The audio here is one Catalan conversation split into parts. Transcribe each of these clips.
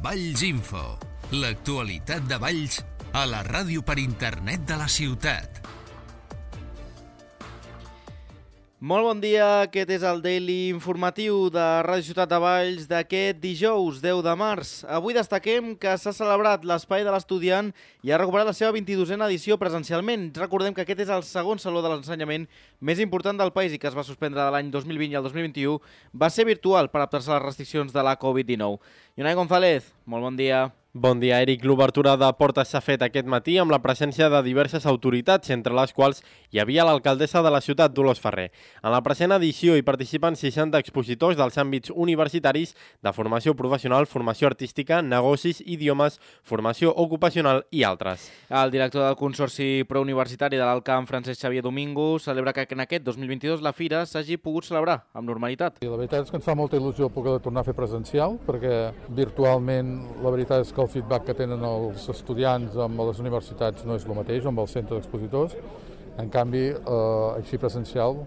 Valls Info, l'actualitat de Valls a la ràdio per internet de la ciutat. Molt bon dia, aquest és el Daily Informatiu de Ràdio Ciutat de Valls d'aquest dijous 10 de març. Avui destaquem que s'ha celebrat l'Espai de l'Estudiant i ha recuperat la seva 22a edició presencialment. Recordem que aquest és el segon saló de l'ensenyament més important del país i que es va suspendre de l'any 2020 i el 2021. Va ser virtual per adaptar-se a les restriccions de la Covid-19. Unai González, molt bon dia. Bon dia, Eric. L'obertura de portes s'ha fet aquest matí amb la presència de diverses autoritats, entre les quals hi havia l'alcaldessa de la ciutat, Dolors Ferrer. En la present edició hi participen 60 expositors dels àmbits universitaris de formació professional, formació artística, negocis, idiomes, formació ocupacional i altres. El director del Consorci Prouniversitari de l'Alt Camp, Francesc Xavier Domingo, celebra que en aquest 2022 la fira s'hagi pogut celebrar amb normalitat. I la veritat és que ens fa molta il·lusió poder tornar a fer presencial, perquè virtualment la veritat és que el feedback que tenen els estudiants amb les universitats no és el mateix, amb el centre d'expositors. En canvi, així presencial,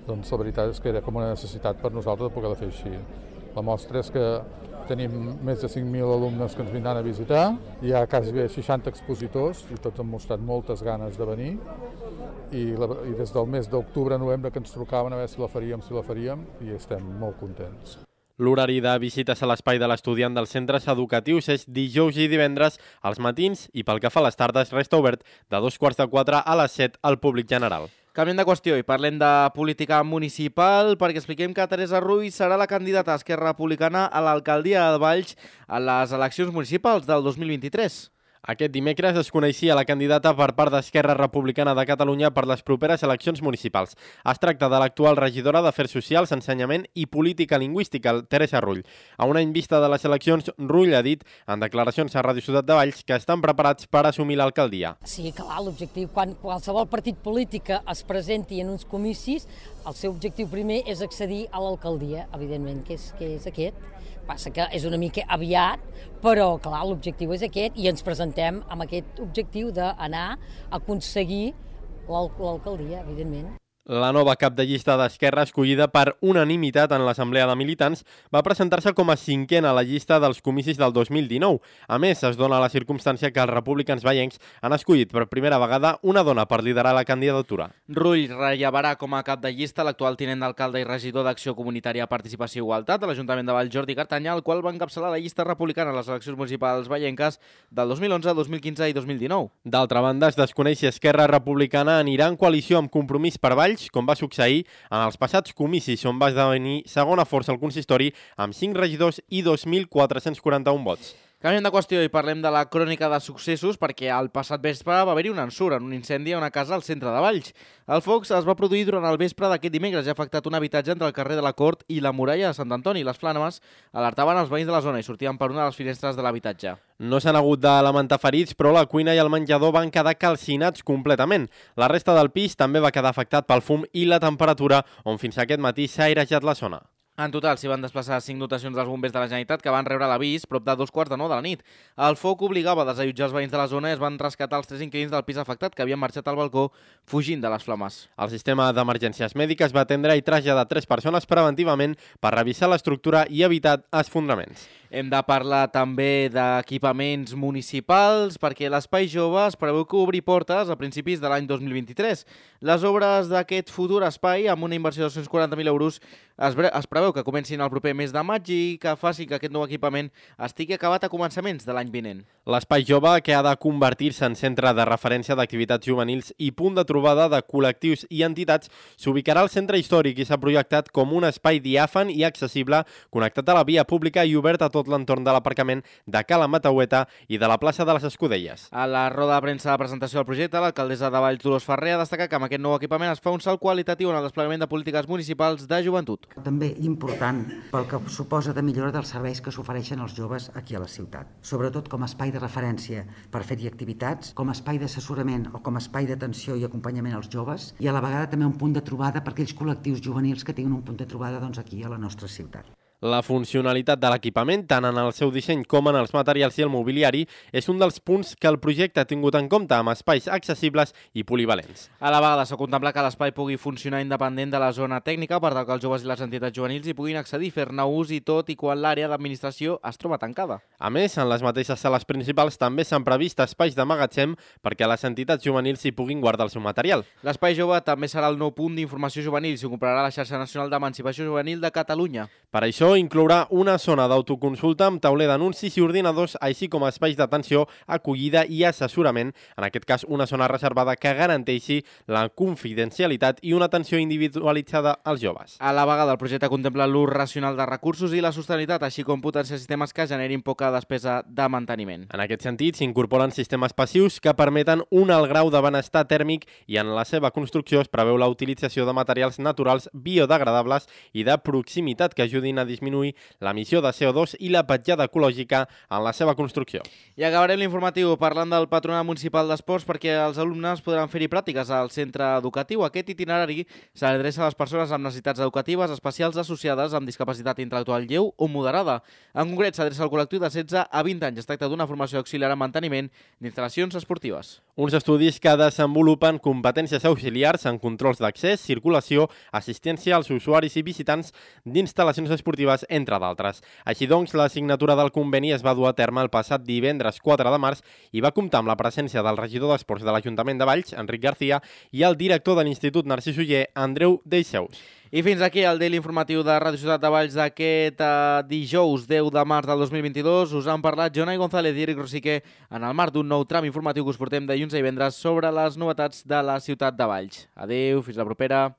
doncs la veritat és que era com una necessitat per nosaltres de poder fer així. La mostra és que tenim més de 5.000 alumnes que ens vindran a visitar, hi ha quasi 60 expositors i tots han mostrat moltes ganes de venir i des del mes d'octubre, novembre que ens trucaven a veure si la faríem i estem molt contents. L'horari de visites a l'espai de l'estudiant dels centres educatius és dijous i divendres als matins i pel que fa a les tardes resta obert de 2:45 a les 7 al públic general. Canviem de qüestió i parlem de política municipal perquè expliquem que Teresa Rull serà la candidata a Esquerra Republicana a l'alcaldia de Valls a les eleccions municipals del 2023. Aquest dimecres es coneixia la candidata per part d'Esquerra Republicana de Catalunya per les properes eleccions municipals. Es tracta de l'actual regidora d'Afers Socials, Ensenyament i Política Lingüística, Teresa Rull. A un any vista de les eleccions, Rull ha dit en declaracions a Ràdio Ciutat de Valls que estan preparats per assumir l'alcaldia. Sí, clar, l'objectiu, quan qualsevol partit polític es presenti en uns comicis, el seu objectiu primer és accedir a l'alcaldia, evidentment, que és aquest. Passa que és una mica aviat, però clar, l'objectiu és aquest i ens presentem amb aquest objectiu d'anar a aconseguir l'alcaldia, evidentment. La nova cap de llista d'Esquerra, escollida per unanimitat en l'Assemblea de Militants, va presentar-se com a cinquena a la llista dels comicis del 2019. A més, es dona la circumstància que els republicans vallencs han escollit per primera vegada una dona per liderar la candidatura. Rull rellevarà com a cap de llista l'actual tinent d'alcalde i regidor d'Acció Comunitària, Participació i Igualtat de l'Ajuntament de Valls, Jordi Cartanya, el qual va encapçalar la llista republicana a les eleccions municipals vallenques del 2011, 2015 i 2019. D'altra banda, es desconeix si Esquerra Republicana anirà en coalició amb Compromís per Valls, com va succeir en els passats comicis on va esdevenir segona força al consistori amb 5 regidors i 2.441 vots. Canviem de qüestió i parlem de la crònica de successos perquè el passat vespre va haver-hi un ensurt en un incendi a una casa al centre de Valls. El foc es va produir durant el vespre d'aquest dimecres i ha afectat un habitatge entre el carrer de la Cort i la muralla de Sant Antoni. Les flames alertaven els veïns de la zona i sortien per una de les finestres de l'habitatge. No s'han hagut de lamentar ferits, però la cuina i el menjador van quedar calcinats completament. La resta del pis també va quedar afectat pel fum i la temperatura, on fins aquest matí s'ha airejat la zona. En total, s'hi van desplaçar 5 dotacions dels bombers de la Generalitat que van rebre l'avís prop de 2:45 de la nit. El foc obligava a desallotjar els veïns de la zona i es van rescatar els 3 inquilins del pis afectat que havien marxat al balcó fugint de les flames. El sistema d'emergències mèdiques va atendre i traslladar 3 persones preventivament per revisar l'estructura i evitar esfondraments. Hem de parlar també d'equipaments municipals perquè l'Espai Jove es preveu que obri portes a principis de l'any 2023. Les obres d'aquest futur espai, amb una inversió de 240.000 euros, es preveu que comencin el proper mes de maig i que faci que aquest nou equipament estigui acabat a començaments de l'any vinent. L'Espai Jove, que ha de convertir-se en centre de referència d'activitats juvenils i punt de trobada de col·lectius i entitats, s'ubicarà al centre històric i s'ha projectat com un espai diàfan i accessible, connectat a la via pública i obert a tot l'entorn de l'aparcament de Cala Mataueta i de la plaça de les Escudelles. A la roda de premsa de presentació del projecte, l'alcaldessa de Valls, Dolors Ferrer, ha destacat que amb aquest nou equipament es fa un salt qualitatiu en el desplegament de polítiques municipals de joventut. També important pel que suposa de millora dels serveis que s'ofereixen als joves aquí a la ciutat, sobretot com a espai de referència per fer-hi activitats, com a espai d'assessorament o com a espai d'atenció i acompanyament als joves i a la vegada també un punt de trobada per aquells col·lectius juvenils que tinguin un punt de trobada aquí a la nostra ciutat. La funcionalitat de l'equipament, tant en el seu disseny com en els materials i el mobiliari, és un dels punts que el projecte ha tingut en compte amb espais accessibles i polivalents. A la vegada s'ha contemplat que l'espai pugui funcionar independent de la zona tècnica per tal que els joves i les entitats juvenils hi puguin accedir, fer-ne ús i tot i quan l'àrea d'administració es troba tancada. A més, en les mateixes sales principals també s'han previst espais de magatzem perquè les entitats juvenils hi puguin guardar el seu material. L'espai jove també serà el nou punt d'informació juvenil i s'ho comprarà la xarxa nacional d'emancipació juvenil de Catalunya. Per això inclourà una zona d'autoconsulta amb tauler d'anuncis i ordinadors, així com espais d'atenció, acollida i assessorament, en aquest cas una zona reservada que garanteixi la confidencialitat i una atenció individualitzada als joves. A la vegada, el projecte contempla l'ús racional de recursos i la sostenibilitat, així com potenciar sistemes que generin poca despesa de manteniment. En aquest sentit, s'incorporen sistemes passius que permeten un alt grau de benestar tèrmic i en la seva construcció es preveu la utilització de materials naturals biodegradables i de proximitat que ajudin a disminuir l'emissió de CO2 i la petjada ecològica en la seva construcció. I acabarem l'informatiu parlant del Patronat Municipal d'Esports perquè els alumnes podran fer-hi pràctiques al centre educatiu. Aquest itinerari s'adreça a les persones amb necessitats educatives especials associades amb discapacitat intel·lectual lleu o moderada. En concret, s'adreça al col·lectiu de 16 a 20 anys. Es tracta d'una formació auxiliar en manteniment d'instal·lacions esportives. Uns estudis que desenvolupen competències auxiliars en controls d'accés, circulació, assistència als usuaris i visitants d'instal·lacions esportives, entre d'altres. Així doncs, la signatura del conveni es va dur a terme el passat divendres 4 de març i va comptar amb la presència del regidor d'Esports de l'Ajuntament de Valls, Enric García, i el director de l'Institut Narcís Oller, Andreu Deixeus. I fins aquí el Daily Informatiu de Ràdio Ciutat de Valls d'aquest dijous 10 de març del 2022. Us han parlat Jonai González i Eric Rosique en el marc d'un nou tram informatiu que us portem dilluns i divendres sobre les novetats de la ciutat de Valls. Adéu, fins la propera.